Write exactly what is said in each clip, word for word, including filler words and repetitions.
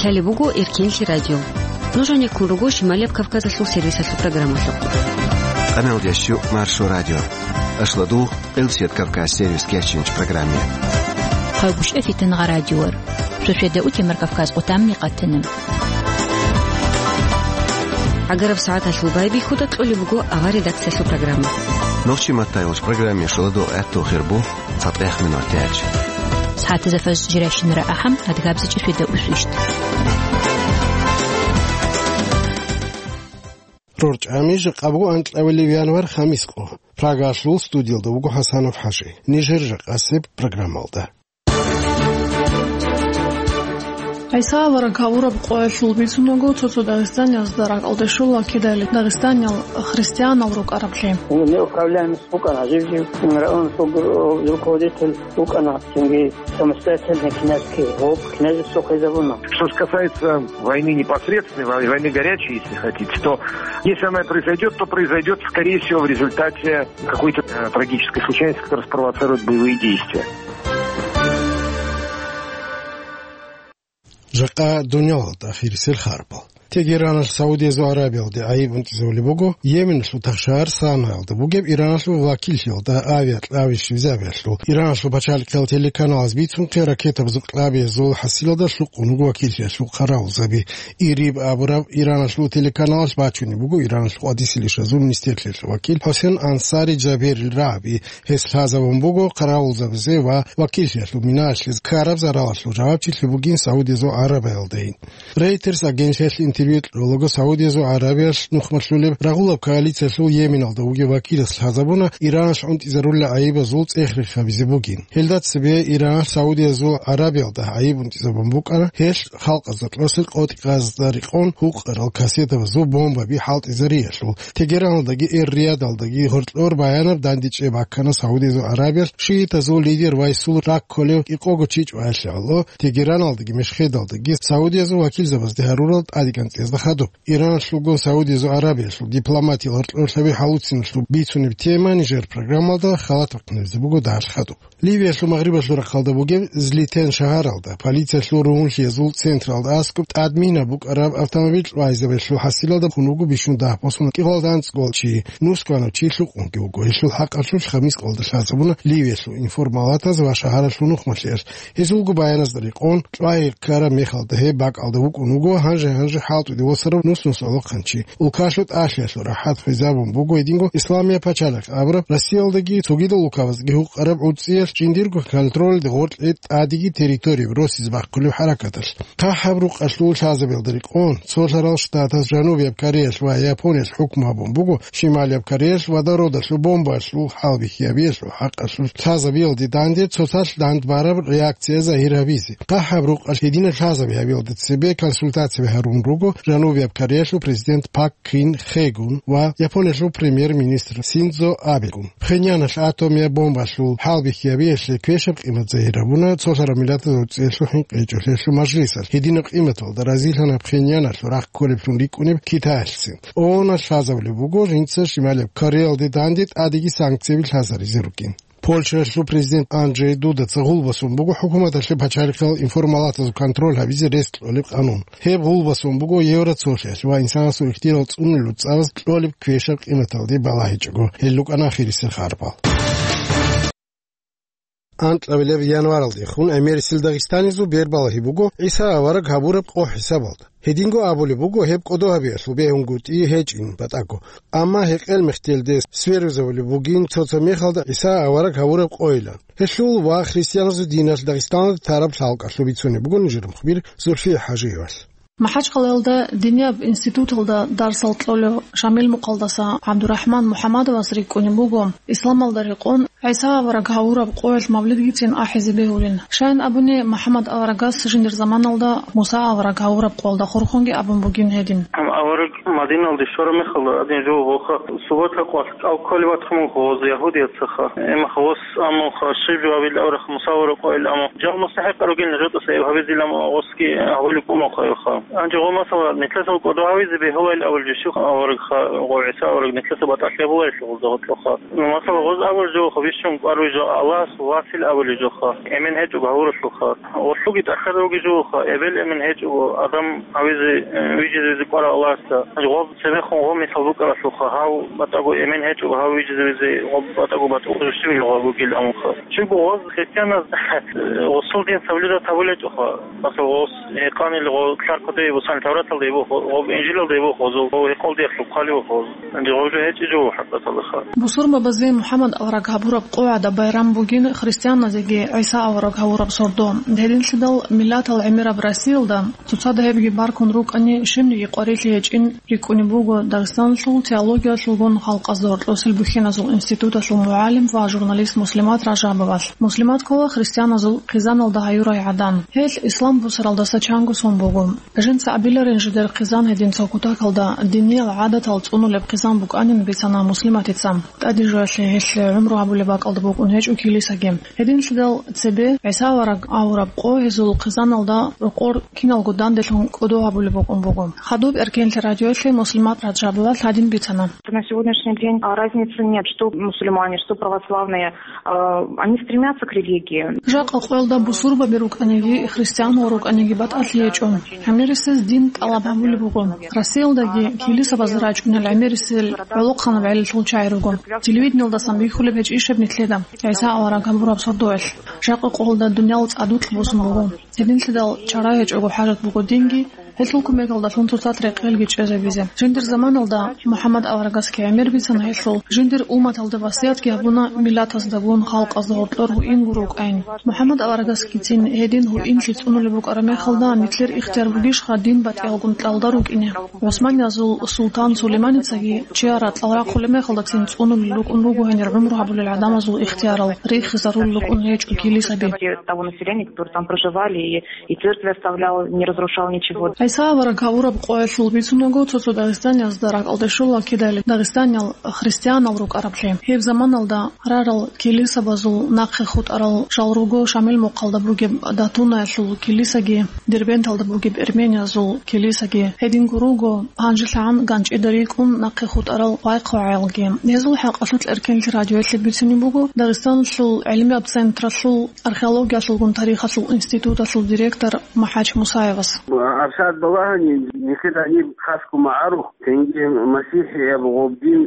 Лъалеб буго Эркенлъи радио. Нуж гьанеккун руго Шималияб Кавказалъул сервисалъул программалъухъ. Къаналдияс щу Маршо радио. Ашладул Къилсият Кавказ сервис кечинч программе. Хъалбушев Фитнагъа радиор. Шошеда утемар Кавказ отамни къатана. ГӀагараб сагӀаталъул байбихьуда кьолеб буго авар редакциялъул программа. Нохчи маттайулч программе шуладул гӀаттул хирбу цатӀех минор тяч. СагӀатазафаз жиращинара ахӀам адгабзичӀи шведа усвищт. РорчӀами жакъа буго анкьавилев январ хамискъо. Прагалъул студиялда вуго ХӀасанов ХӀажи. Нижер жакъасеб программалда. ГӀиса авараг гьавураб къоялъул бицунаго цо-цо дагъистаниязда ракӀалде щола кидали дагъистаниял христианал рукӀараблъи. Неуправляемость букӀана, жив-жив район руководитель букӀана, цинги самостоятельный князский гьоб князевство хвезабуна. Что касается войны непосредственной, вой-, войны горячей, если хотите, то если она произойдет, то произойдет, скорее всего, в результате какой-то, э, трагической случайности, которая спровоцирует боевые действия. Жакъа дунялалда ахирисел харбал. Тегераналъ Саудиязул Аравиялде гӀайиб унтӀизавулеб буго, Йеменалъул тахшагьар Санаялда бугеб Ираналъул вакиллъиялда авиакьаби щвезабиялъул. Ираналъул пачалихъиял телеканалаз бицунхъе, ракетабазул кьабиязул хӀасилалда лъукъун вуго вакиллъиялъул хъаравулзаби. Ириб абураб Ираналъул телеканалалъ бачунеб буго Ираналъул хӀадисил ишазул министрлъиялъул вакил ХӀусен Ансари Жаберил рагӀаби. Гьес лъазабун буго хъаравулзабазе ва вакиллъиялъул минаялъе ккараб заралалъул жавабчилъи бугин Саудиязул Аравиялдайин. Рейтерс агенциялъе интервью кьолаго Саудиязул Аравиялъ нухмалъулеб рагъулаб коалициялъул Йеменалда вугев вакилас лъазабуна Ираналъ унтӀизарулел гӀайибазул цӀех рехабизе бугин. Гьелда цебе Ираналъ Саудиязул Аравиялда гӀайиб унтӀизабун букӀана, гьелъ халкъазда кьолъел къотӀи-къазазда рекъон гьукъарал кассетабазул бомбаби хӀалтӀизариялъул. Тегераналдаги Эр-Риядалдаги гьоркьор баянаб дандечӀеб баккана Саудиязул Аравиялъ шиитазул лидер вайсул ракколев кӀикъого чи чӀваялъе гӀоло, Тегераналдаги Мешхедалдаги Саудиязул вакилзабазде гьарурал тӀадегӀанцӀиязда хадуб. Ираналъулго Саудиязул Аравиялъул дипломатиял гьоркьорлъаби хӀалуциналъул бицунеб тема нижер программалда халат бахъинабизе буго дагьалъ хадуб. Ливиялъул магърибалъул рахъалда бугеб Злитен шагьаралда, полициялъул ругьунлъиязул централда аскӀоб тӀадмина букӀараб автомобиль кьвайзабелъул хӀасилалда хун вуго бищун дагь босун кӀикъоялда анцӀго чи, нусгванав чи лъукъунги вуго. Гьелъул хӀакъалъулъ хамис къолда лъазабуна Ливиялъул информалатаз ва шагьаралъул нухмалъиялъ. Гьезулго баяназда рекъон, кьвай ккараб мехалда гьеб бакӀалда вукӀун вуго гьанже-гьанже хӀалтӀуде восарав нус-нусалъул хъанчи. Улкалъул тӀалъиялъул рахӀат хвезабун буго гьединго Исламияб пачалихъ абураб Россиялдаги цогидал улкабаздаги гьукъараб гӀуцӀиялъ жиндирго контролалде гъоркье тӀадеги территорияби росизе бахъулеб хӀаракаталъ. ХъахӀаб рукъалъул лъазабиялда рекъон, цолъарал штатаз Жанубияб Кореялъ ва Япониялъ хӀукму гьабун буго Шималияб Кореялъ водородалъул бомбаялъул хӀалбихьи гьабиялъул хӀакъалъулъ лъазабиялде данде цоцалъ дандбараб реакция загьир гьабизе. ХъахӀаб рукъалъ гьединаб лъазаби гьабиялда цебе консультацияби гьарун руго Жанубияб Кореялъул президент Пак Кин Хейгун ва Япониялъул премьер-министр Синдзо Абегун. Пхеньяналъ атомияб бомбалъул хӀалбихьи гьабиялъе квешаб къимат загьир гьабуна Цолъараб Миллатаз гӀуцӀиялъул хӀинкъичӀолъиялъул мажлисалъ. Гьединаб къиматалда разилъана Пхеньяналъул рахъ кколеблъун рикӀкӀунеб Китаялъцин. ООНалъ лъазабулеб буго жинца Шималияб Кореялде данде тӀадеги санкцияби лъазаризе ругин. Польшаялъул президент Анджей Дудаца гъул босун буго хӀукуматалъе пачалихъал информалатазул контроль гьабизе рес кьолеб къанун. Гьеб гъул босун буго Евроцолъиялъ ва инсанасул ихтияр цӀунулел цӀараз кьолеб квешаб къиматалде балагьичӀого. Гьел рукӀана ахирисел харбал. Анкьабилеб январалдехун гӀемерисел дагъистанизул бербалагьи буго ГӀиса авараг гьабураб къо хӀисабалда. Гьединго абулеб буго гьеб кӀодо гьабиялъул бегьунгутӀи гьечӀин батӀаго. Амма гьекъел мехтелде сверузавулеб бугин цо-цо мехалда ГӀиса авараг гьавураб къойилан. Гьелъул ва христианазул диналъ Дагъистаналда тараб лъалкӀалъуб бицунеб буго нижер мухбир Зульфия ХӀажиевалъ. МахӀачкъалаялда динияб институталда дарсал кьолев Шамил Мукъалдаса ГӀабдурахӀман МухӀаммадовас рикӀкӀунеб буго исламалда рекъон ГӀиса авараг гьавураб къоялъ мавлидгицин ахӀизе бегьулин. Щайин абуни, МухӀаммад аварагас жиндир заманалда Муса авараг гьавураб къоялда хурхунги абун бугин гьедин. Гьаб авараг Диналде щвараб мехалда гьадин жо гъоха суббота къвалъ кӀал кколеб батун буго гъоз ягьудияцаха. Эмаха гъос аммуха щиб жо гьабил авраха мусавара къойил аму. Жал мустахӀикъа ругел жотӀаса эб гьабизил аму гъосги гьабулеб кӀумахъайха. Гьанже гъо масала, нилъеца кӀодо гьавизе бегьулайил абулеб жо щуха аварагха, гъо ГӀиса авараг нилъеца батӀалъи гьабулайилъ гъозда гъотлъоха. Масала, гъоз абулеб жоха бищун кӀвар вижа Аллагьас васил абулеб жоха. Эмен гьечӀого гьавуралъулха. Гъолъуги тӀахьазавги жугьуха, эбел-эмен гьечӀого адам гьавизе, э, вижизавизе кӀварав Аллагьасда. Гъоб цебехун гъо мисал букӀаралъулха, гьав батӀаго эмен гьечӀого гьав вижизавизе, гъоб батӀаго батӀулъ жущивил гъо бугил амулха. Щибго гъоз христианаз, э, гъосул дин соблюдать гьабулечӀоха. Масала, гъос гьекъанил гъо ккаркодей бусан Тавраталда йибухъ, гъоб Инжилалда йибухъ гъозул, гъо гьекъолдиялъул хъалибухъ гъоз. Гъоб жо гьечӀи жугьу хӀакъаталаха. Бусурбабазе МухӀаммад авараг гьабураб къо гӀадаб байрам бугин христианазеги ГӀиса авараг гьавураб сордо. Гьединлъидал миллатал гӀемераб Россиялда цоцазда гьебги баркун рукӀани, щибниги къварилъи гьечӀин рикӀкӀунеб буго Дагъистаналъул теологиялъулгун халкъазда гьоркьосел бухьиназул институталъул мугӀалим ва журналист Муслимат Ражабовалъ. Муслимат ккола христианазул хъизаналда гьаюрай гӀадан. Гьелъ ислам бусаралдаса чанго сон буго. Жинца абиларин жидер хъизан гьедин цо кутакалда диниял гӀадатал цӀунулеб хъизан букӀанин бицана Муслиматица. ТӀаде жоялъе гьелъ гӀумру гьабулеб бакӀалда букӀун гьечӀо килисаги. Гьединлъидал цебе ГӀиса авараг авураб къо гьезул хъизаналда рокъор киналго данделъун кӀодо гьабулеб букӀун буго. Хадуб Эркенлъи радиоялъе Муслимат Ражабовалъ гьадин бицана. На сегодняшний день, а, разницы нет, что мусульмане, что православные, а, они стремятся к религии. Жакъа къоялда бусурбаби рукӀаниги, христианал рукӀаниги батӀалъи гьечӀо. ГӀемерисез дин тӀалаб гьабулеб буго. Россиялдаги килисабаз рачӀунел гӀемерисел гӀолохъанаб гӀелалъул чагӀи руго. Телевидениялдасан бихьулеб гьечӀищ гьеб нилъеда, ГӀиса авараг гьабураб сордоялъ. Жакъа къоялда дуниял цӀадулъ босун буго. Гьединлъидал чара гьечӀого хӀажат буго динги, гьелъул кумекалдалъун цоцазда рекъелги чӀезабизе. Жиндир заманалда МухӀаммад аварагасги гӀемер бицана гьелъул, жиндир умматалда васиятги гьабуна миллатаздагун халкъазда гьоркьор гьуин гуро вукӀайин. МухӀаммад аварагасгицин гьедин гьуинлъи цӀунулеб букӀараб мехалда, нилъер ихтияр бугищха дин батӀиялгун кьалда рукӀине? ГӀусманиязул султан Сулейманицаги чияр ракьал рахъулеб мехалдацин цӀунулел рукӀун руго гьенир гӀумру гьабулел гӀадамазул ихтиярал, рихизарулел рукӀун гьечӀо килисаби. Того населения, которые там проживали, и, и церкви оставлял, не разрушал ничего. ГӀиса авараг гьавураб къоялъул бицунаго, цо-цо дагъистаниязда ракӀалде щола кидали дагъистаниял христианал рукӀараблъи. Гьеб заманалда рарал килисабазул нахъе хутӀарал жал руго Шамил мухъалда бугеб Датунаялъул килисаги, Дербенталда бугеб эрмениязул килисаги, гьединго руго гьанжелъагӀан ганчӀида рикӀкӀун нахъе хутӀарал вайхъугӀаялги. Гьезул хӀакъалъулъ Эркенлъи радиоялъе бицунеб буго Дагъистаналъул гӀилмияб централъул археологиялъулгун тарихалъул институталъул директор МухӀач Мусаевас. Абсат балагьани, нилъер гьаниб хасго магӀарухъ, цинги масихӀияб гъоб дин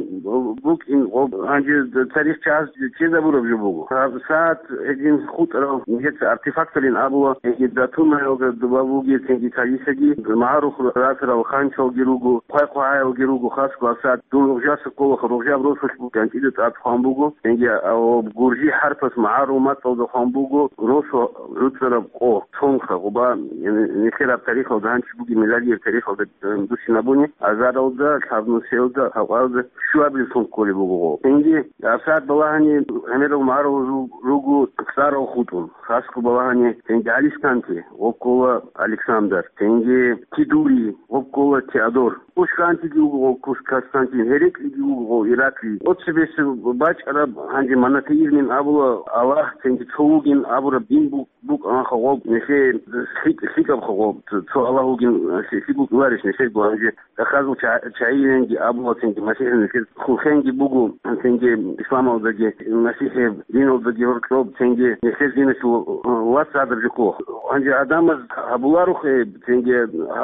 букӀин гъоб гьанже тарихчияс чӀезабураб жо буго. Гьаб сагӀат гьедин хутӀарал нилъеца артефакторин абула, гьедин датунаялда дуба бугеб, цинги калисаги, магӀарухъ расарал ханчалги руго, хъвай-хъвагӀаялги руго, хасго гьаб сагӀат дун рухӀжаса кколаха, рухӀжаб росулъ ганчӀида тӀад хъван буго, цинги гьаб гуржи хӀарпас магӀарул мацӀалда хъван буго, росу гӀуцӀараб къо, цонха, гъоба, нилъер гьаб тарихалда гьанчи бугеб миладияб тарихалда, э, бусинабуни, азаралда, лъабнусиялда, гьавкъалда щуабиллъун кколеб буго гъо. Цинги, гьаб сагӀат балагьани гӀемерал магӀарул ру-, руго цӀарал хутӀун, хасго балагьани цинги Алисканти, гъо ккола Александр, цинги Кидури, гъо ккола Теодор. Кушкантиги вуго гъо Кус-, Константин, Гьереклиги вуго гъо Ираклий. Оцебесеб бачӀараб гьанже монотеизмин абула Аллагь, цинги цо вугин абураб дин буго. БукӀанха гъоб нилъее лъикӀ-, лъикӀабха гъоб, цо, цо Аллагь вугин, лъи-, лъикӀ букӀуларищ нилъего гьанже? Дахазул ча-, чагӀиленги абула, цинги масихӀи нилъер хулхенги буго, цинги исламалдаги, масихӀи диналдаги гьоркьоб, цинги нилъер диналъул вас гьадаржухъо. Гьанже гӀадамаз гьабуларухъе, цинги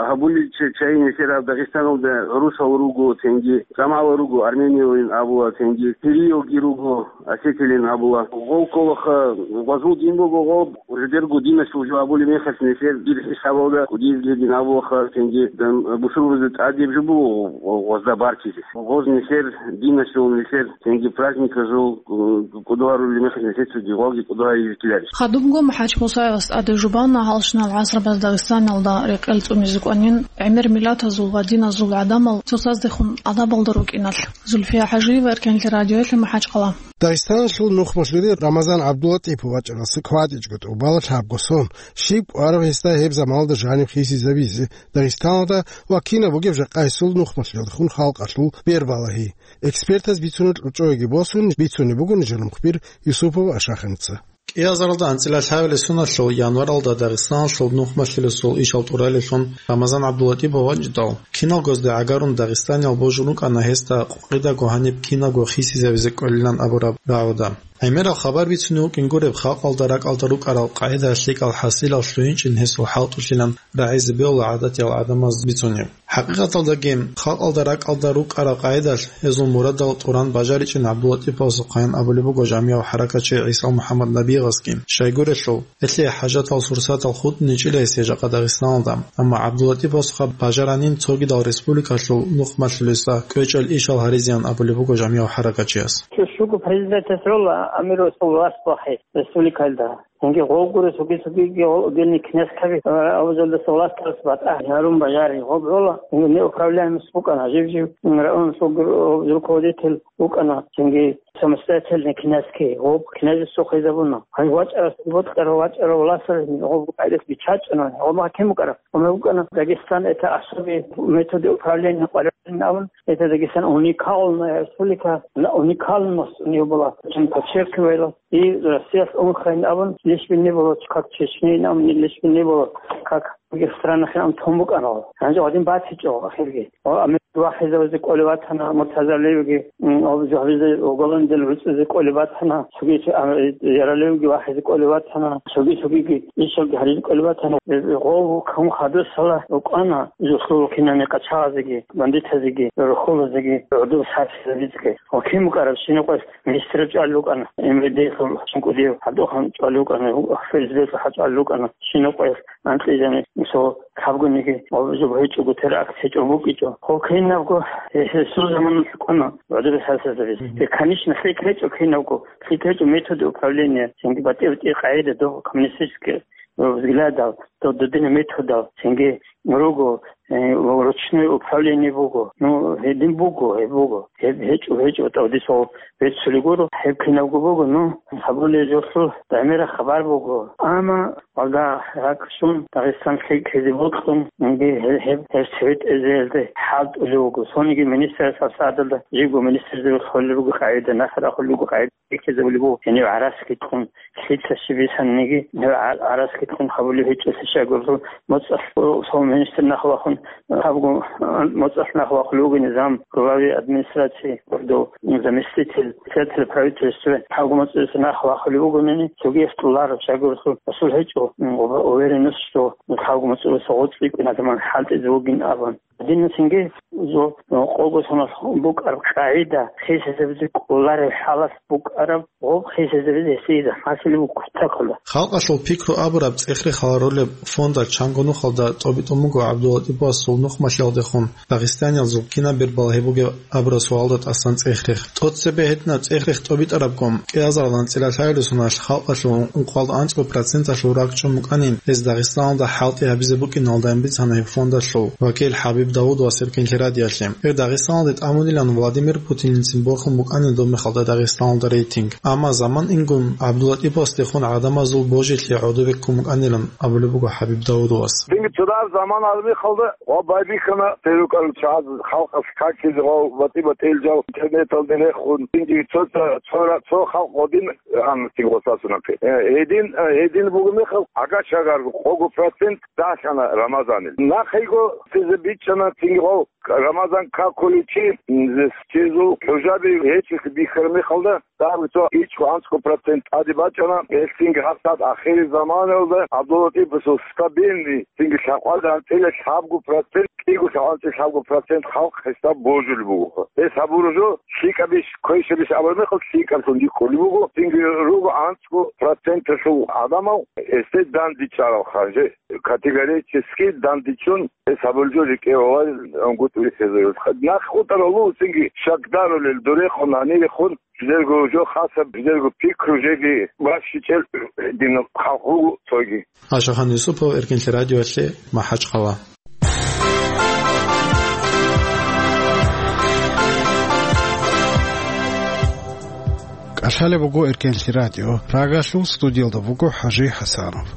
гьабулел ча-, чагӀи нилъер гьаб Дагъистаналда гӀурусал руго, цинги жамагӀал руго, армениялин абула, цинги сириялги руго, осетилин абула. Гъов кколаха, гъвазул дин буго гъоб. Жидерго диналъул жо абулеб мехалъ нилъер дир хӀисабалда кӀудиязги дин абулаха, цинги дам-, бусурбабазда тӀадеб жо буго гъозда баркизе. Гъоз нилъер диналъул, нилъер цинги праздниказул, э, кӀодо гьарулеб мехалъ нилъер цоги гъоги кӀодо гьаризеккиларищ. Хадубго МухӀач Мусаевас тӀаде жубана гьалщинал гӀасрабаз Дагъистаналда рекъел цӀунизе кӀванин гӀемер миллатазул ва диназул гӀадамал цоцаздехун адабалда рукӀиналъ. Зульфия ХӀажиева, Эркенлъи радиоялъе, МахӀачхъала. Дагъистаналъул нухмалъури Рамазан ГӀабдуллатӀипов вачӀаралса кватӀичӀго тӀубала лъабго сон, щиб кӀвараб гьесда гьеб заманалда жаниб хисизабизе Дагъистаналда ва кинаб бугеб жакъа гьесул нухмалъуялдехун халкъалъул бербалагьи. Экспертаз бицунеб кьучӀоеги босун, бицунеб буго нижер мухбир Юсупов Ашаханица. КӀиазаралда анцӀила лъабилеб соналъул январалда Дагъистаналъул нухмалъулесул ишал тӀуралевлъун Рамазан ГӀабдуллатӀипов вачӀидал, киналгоязда гӀагарун дагъистаниял божун рукӀана гьесда къокъидаго гьаниб кинабго хисизабизе кӀолилан абураб рагӀуда. ГӀемерал хабар бицунев вукӀин гуреб, халкъалда ракӀалда рукӀарал къагӀида лъикӀал хӀасилал лъугьинчӀин гьесул хӀалтӀулъилан рагӀизе бегьула гӀадатиял гӀадамаз бицунеб. ХӀакъикъаталдаги, халкъалда ракӀалда рукӀарал къагӀидалъ гьезул мурадал тӀуран бажаричӀин ГӀабдуллатӀиповасухъаян абулеб буго жамигӀав хӀаракатчи ГӀиса МухӀаммад Набигъасги. Щайгурелъул, гьелъие хӀажатал сурсатал хутӀничӀила гьесие жакъа Дагъистаналда, амма ГӀабдуллатӀиповасухъа бажаранин цогидал республикалъул нухмалъулесда кӀвечӀел ишал гьаризеян абулеб буго жамигӀав хӀаракатчияс. Цо щуго президентас гӀола амирасул власть бахъи республикалда. Цинги гъов гурес вугес вугеги гъол отдельный князькаби, а, авзалдаса власталас батӀа гьарун бажари гъоб гӀола, цинги неуправляемость букӀана, жив-жив районасул гур-, руководитель вукӀана, цинги самостоятельный князький гъоб князевсухъе забуна. Гьанже вачӀарас бокьарав вачӀарав власталас гъоб къайдас бичачӀана, гъоб гьаким букӀараб. Гъоб букӀана Дагестан это особый методы управления къваригӀун абун, это Дагестан уникальная республика, на уникальность у него была, очень подчеркивала. И Россиялъ унхъайин абун, лишби не было, как Чечнейин абун, лишби не было, как в других странах абун тун букӀана. Гьанже гьадин батичӀо ахирги. Ва Америка вахӀизавизе кӀолев ватана, Муртаза Левиги, м, гьабизе уголовный дел вуцӀизе кӀолев ватана, цоги, а, Яралевги вахӀизе кӀолев ватана, цоги-цогиги ишалги гьаризе кӀолев ватана. Э, гъов ккун хадусала укӀана, жуслул кинани къачагъазеги, бандитазеги, рухьулазеги, гӀодов сарсилабицӀги. Ва кин букӀараб щинаб къоялъ министраб чӀвалев вукӀана, МВД-лъул чӀинкӀудияв гьадухъан чӀвалев вукӀана, ФСБ-лъул хӀа чӀвалев вукӀана, щинаб къоялъ анкьизе, мисал, лъабгониги ва жо гьечӀого теракт гьечӀо букӀичӀо. Хо кинабго гьесул заманалъ кӀуна гӀодобе сарсилабизе. Мгм. Конечно, лъикӀ гьечӀо кинабго, лъикӀ гьечӀо методы управления, цинги батӀи-батӀи къагӀида дов коммунистический взглядал, дов додина методал, цинги руго, э, ручное управление буго. Ну, гьедин буго, гьеб буго. Гьеб гьечӀо, гьечӀо, тӀавдисав беццулеб гуро, гьеб кинабго буго, ну, гьабулеб жолъул гӀемераб хабар буго. Амма, валлагь, ракӀ щун, Дагъистан лъикӀлъизе бокьун, инги гьеб, гьеб, гьеб цеве тӀезеялде хӀалтӀулев вуго. Цониги министрас гьабсагӀаталда, жибго министрзабихъ холел руго къагӀида, нахъ рахулел руго къагӀида. Бихьизабулеб буго, гьенив гӀараскитлъун, лъица щиб бисаниги, гьев гӀа-, гӀараскитлъун гьабулеб гьечӀолъи щайгурелъул, моцӀалъ, о, цо министр нахъ вахун, гьабго, а, моцӀалъ нахъ вахулев вугин зам главы администрации, гьоркьов заместитель председателя правительства, гьабго моцӀалъ нахъ вахулев вугонани, цогияс тӀолареб щайгурелъул, асул гьечӀо, м, уверенность, что гьабго моцӀалъ гъоцӀи кӀун гьадаман хӀалтӀизе вугин абун. Динна цинги, жо, къого соналъ букӀараб къагӀида, хисизабизе кӀолареб хӀалалъ букӀараб, гъоб хисизабизе гьесие захӀмалъулеб буго кутакалда. Халкъалъул пикру абураб цӀех-рех гьарулеб фондалъ чанго нухалда тӀобитӀун буго ГӀабдуллатӀиповасул нухмалъиялдехун дагъистаниязул кинаб бербалагьи бугеб абураб суалда тӀасан цӀех-рех. ТӀоцебе гьединаб цӀех-рех тӀобитӀарабго, кӀиазаралда анцӀила лъабилеб соналъ халкъалъул ункъоялда анцӀго проценталъул ракӀчӀун букӀанин, гьез Дагъистаналда хӀалтӀи гьабизе букӀиналдайин бицана гьеб фондалъул вакил ХӀабиб Давудовас Эркинлъи радиоялъе. Гьеб Дагъистаналде тӀамунилан Владимир Путинилцин борхун букӀанин доб мехалда Дагъистаналда рейтинг. Амма заман ингун ГӀабдуллатӀиповасдехун гӀадамазул божилъи гӀодобе ккун букӀанилан абулеб буго ХӀабиб Давудовас. Цинги цо дагьаб заман гьармихалда ва байбихьана, церукал чагӀаз халкъалъ какизе ва батӀи-батӀиял жал интернеталде рехун, цинги цо-, цо-, цо-, цо халкъ гъодин гьанна цинги гъосасунахъе. Э, гьедин, э, гьедин буго мехалъ, гӀага-чагарго къого процент дагьлъана Рамазанил. Нахъего цезе бичӀчӀана цинги гъов Рамазан какулев чи, м, цезул хӀужаби гьечӀолъи бихьараб мехалда, Дагьаб цо ичӀго-анцӀго процент тӀаде бачӀана, гьелъинги гьабсагӀат ахиризаманалда ГӀабдуллатӀиповасул стабильный, цинги лъабкъоялда анцӀила лъабго процент, кӀиго лъабкъоялда анцӀила лъабго процент халкъ гьесда божулеб буго. Гьес гьабураб жо лъикӀабищ, квешабищ абураб мехалъ лъикӀаблъун рикӀкӀунеб буго, цинги руго анцӀго проценталъул гӀадамал гьесде дандчӀварал ханже. Категорически дандчӀун гьес гьабулеб жо рикӀкӀе гьавал ангутӀ вихьизарулха. Нахъ хутӀарал лугьусинги шакдарулел дурехун, гьанирехун, жидерго жо хасаб, жидерго пикру жеги бащичӀел дин халкъ буго цоги. Ашахан Юсупов, Эркинлъи радиоялъе, МахӀачхъала. КӀалъалеб буго Эркенлъи радио. Прагалъул студиялда буго ХӀажи ХӀасанов.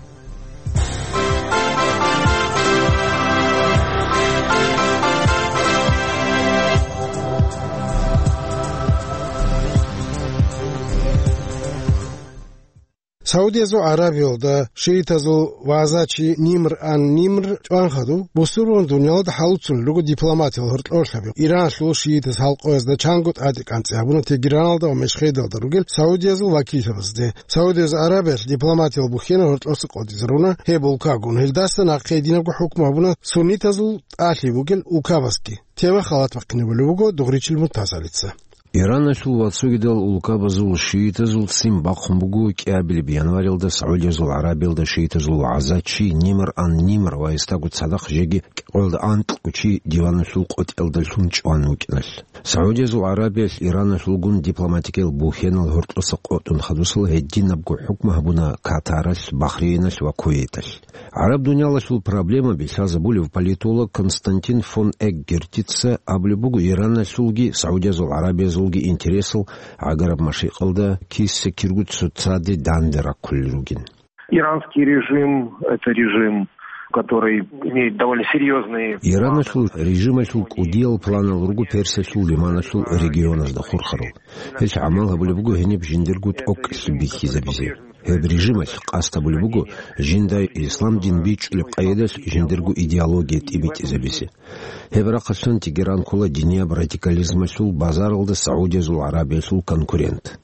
Саудиязул Гьарабиялда шиитазул вагӀзачи Нимр ан-Нимр чӀван хадуб, бусурбан дуниялда хӀалуцун руго дипломатиял гьоркьорлъаби. Иранлъул шиитаз халкъоязда чанго тӀаде кӀанцӀи гьабуна Тегераналда ва Мешхедалда ругел Саудиязул вакилзабазде. Саудиязул Гьарабиялъ дипломатиял бухьенал гьоркьоса къотӀизаруна гьеб улкагун. Гьелдаса нахъе гьединабго хӀукму гьабуна суннитазул тӀалъи бугел улкабазги. Тема халат бахъинабулеб буго Дугъричил Муртазалица. Иранасул ва цогидал улкабазул шиитазул ццин бахъун буго кӀиабилеб январилда Саудиязул Гьарабиялда шиитазул вагӀзачи Нимр ан-Нимр ва гьесдаго цадахъ жеги кӀикъоялда анкьго чи диваналъул къотӀиялдалъун чӀван вукӀиналъ. Саудиязул Гьарабиялъ Иранасулгун дипломатикиял бухьенал гьоркьоса къотӀун хадусал гьединабго хӀукму гьабуна Катаралъ, Бахрейналъ ва Кувейталъ. ГӀараб дуниялалъул проблемаби лъазабулев политолог Константин фон Эггертица абулеб буго, Иранасулги Саудиязул Гьарабиязулги интересал гӀагараб машикъалда киса-кирго цоцаде данде раккулел ругин. Иранский режим — это режим, который имеет довольно серьезные... Иранасул режималъул кӀудиял планал руго Персиялъул лиманалъул регионазда хурхарал. Гьелъ гӀамал гьабулеб буго гьениб жиндирго тӀокӀлъи бихьизабизе. Гьеб режималъ къасд гьабулеб буго жинда ислам дин бичӀчӀулеб къайдалъ жиндирго идеология тӀибитӀизабизе. Гьеб рахъалъан Тегеран ккола динияб радикализмалъул базаралда Саудиязул Гьарабиялъул конкурент.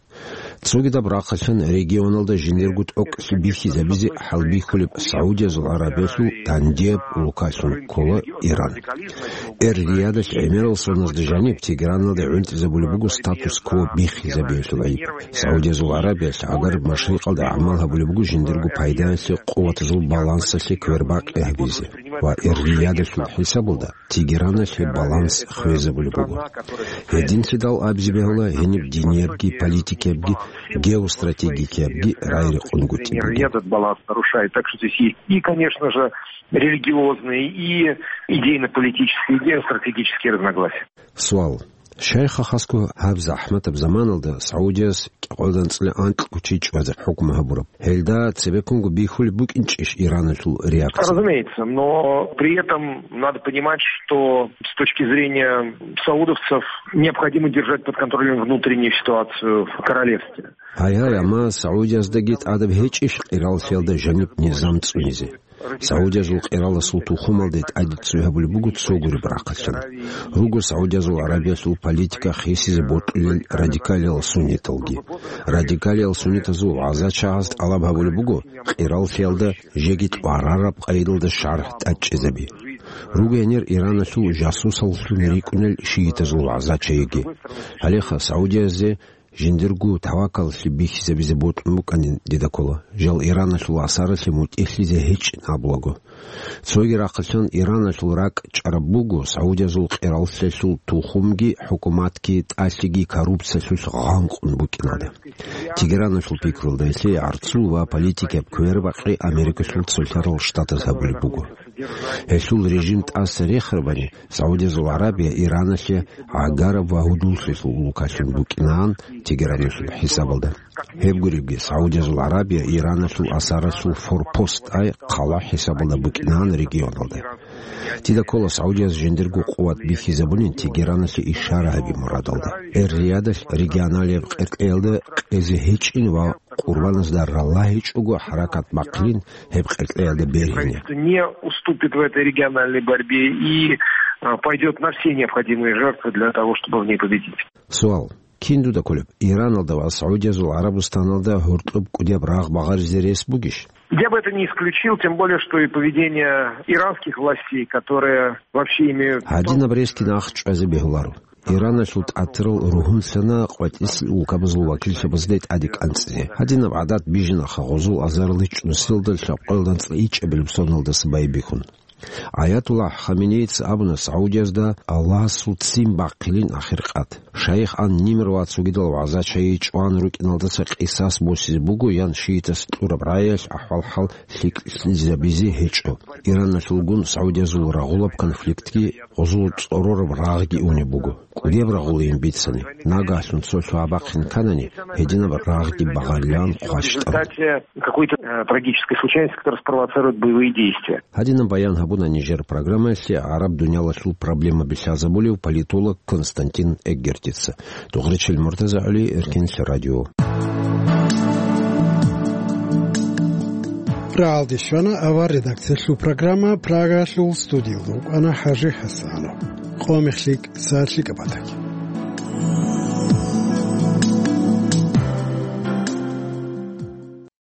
Цогидаб рахъалъан регионалда жиндирго тӀокӀлъи бихьизабизе хӀалбихьулеб Саудиязул Гьарабиялъул дандияб улкалъун ккола Иран. Эр-Риядалъ гӀемерал соназда жаниб Тегераналда гӀунтӀизабулеб буго статус-кво биххизабиялъул гӀайиб. Саудиязул Гьарабиялъ гӀагараб машрикъалда гӀамал гьабулеб буго жиндирго пайдаялъе, къуватазул балансалъе квербакъи гьабизе ва Эр-Риядалъул хӀисабалда Тегераналъе баланс хвезабулеб буго. Гьединлъидал абизе бегьула гьениб диниябги, политикиябги, геостратегикиябги рай рекъон гутӀи бугеб. Этот баланс нарушает. Так что здесь есть и, конечно же, религиозные, и идейно-политические, и геостратегические разногласия. Суал. Шайх Хасго гьаб захӀматаб заманалда Саудияс кӀикъоялда анцӀила анкьго чи чӀвазе хӀукму гьабураб. Гьелда цебеккунго бихьулеб букӀинчӀищ Иранасул реакция? Разумеется, но при этом надо понимать, что с точки зрения саудовцев необходимо держать под контролем внутреннюю ситуацию в королевстве. Гьай-гьай, амма Саудияздаги тӀадаб гьечӀищ къираллъиялда жаниб низам цӀунизе? Саудиязул къираласул тухумалде тӀаде цӀуй гьабулеб буго цо гуреб рахъалъан. Руго Саудиязул Гьарабиялъул политика хисизе бокьулел радикалиял сунниталги. Радикалиял суннитазул вагӀзачагӀаз тӀалаб гьабулеб буго къираллъиялда жеги тӀварараб къайдалда шаргӀ тӀадчӀезаби. Руго гьенир Иранасул жасусаллъун рикӀкӀунел шиитазул вагӀзачаяги. Гьалеха Саудиязе жиндирго тавакаллъи бихьизабизе бокьун букӀанин дида ккола. Жал Иранасул асаралъе мутӀигьлъизе гьечӀин абулаго. Цоги рахъалъан Иранасул ракӀ чӀараб буго Саудиязул къираллъиялъул тухумги, хӀукуматги, тӀалъиги коррупциялъулъ гъанкъун букӀиналда. Тегераналъул пикрулда гьелъие гӀарцул ва политикияб квербакъи Америкалъул цолъарал штатаз гьабулеб буго. Гьелъул режим тӀаса рехарабани, Саудиязул Гьарабия Ираналъе гӀагараб ва гьудуллъилъул улкалъун букӀинаан Тегераналъул хӀисабалда. Гьеб гуребги, Саудиязул Гьарабия Ираналъул асаралъул форпост, ай хъала хӀисабалда букӀинаан регионалда. Дида ккола Саудияз жиндирго къуват бихьизабунин Тегераналъе ишара гьаби мурадалда. Эр-Риядалъ регионалияб къеркьеялда къезе гьечӀин ва къурбаназда раллагьичӀого хӀаракат бахъилин гьеб къеркьеялда бергьине. Правительство не уступит в этой региональной борьбе и, а, пойдёт на все необходимые жертвы для того, чтобы в ней победить. Суал. Кин дуда кколеб, Ираналда ва Саудиязул ГӀарабустаналда гьоркьоб кӀудияб рагъ багъаризе рес бугищ? Я бы это не исключил, тем более, что и поведение иранских властей, которые вообще имеют... Гьадинаб ресги нахъ чӀвазе бегьуларо. Ираналъул тӀатирал ругьунлъана къватӀилъи улкабазул вакиллъабазде тӀаде кӀанцӀизе. Гьадинаб гӀадат бижинаха гъозул азаралда чӀунусиялда лъабкъоялда анцӀила ичӀабилеб соналдаса байбихьун. Аятуллагь Хаменеица абуна Саудиязда Аллагьасул ццин бахъилин ахиркъад. Шайх ан-Нимр ва цогидал вагӀза-чайи чӀван рукӀиналдаса къисас босизе буго ян шиитас кьураб рагӀиялъ ахӀвал-хӀал лъикӀлъизабизе гьечӀо. Ираналъулгун Саудиязул рагъулаб конфликтги гъозул цӀорораб рагъги унеб буго. КӀудияб рагъулейин бицани, нагагьлъун цо лъугьа-бахъин кканани, гьединаб рагъги багъарилан хъващтӀараб. Какой-то, э, трагической случайности, которая спровоцирует боевые действия. Гьадинаб баян гьабуна нижер программаялъе гӀараб дуниялалъул проблемаби лъазабулев политолог Константин Эггертица. Дугъричил МуртазагӀули, Эркинлъи радио. РагӀалде щвана авар редакциялъул программа, Прагаялъул студиялда вукӀана ХӀажи ХӀасанов. Къо мехлъи, са лъикӀаб батаги.